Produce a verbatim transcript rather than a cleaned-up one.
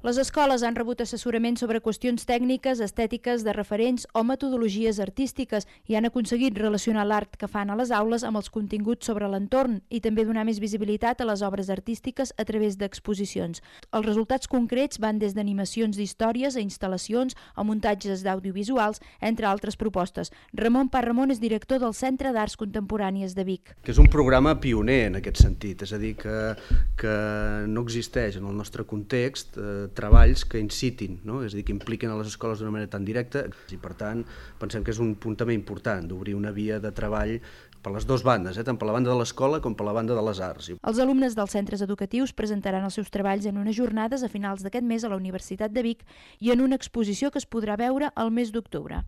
Les escoles han rebut assessorament sobre qüestions tècniques, estètiques, de referents o metodologies artístiques i han aconseguit relacionar l'art que fan a les aules amb els continguts sobre l'entorn i també donar més visibilitat a les obres artístiques a través d'exposicions. Els resultats concrets van des d'animacions d'històries a instal·lacions o muntatges d'audiovisuals, entre altres propostes. Ramon Parramon és director del Centre d'Arts Contemporànies de Vic. Que és un programa pioner en aquest sentit, és a dir, que, que no existeix en el nostre context eh, treballs que incitin, no? És a dir, que impliquen a les escoles d'una manera tan directa i, per tant, pensem que és un punt també important d'obrir una via de treball per les dues bandes, eh? Tant per la banda de l'escola com per la banda de les arts. Els alumnes dels centres educatius presentaran els seus treballs en unes jornades a finals d'aquest mes a la Universitat de Vic i en una exposició que es podrà veure al mes d'octubre.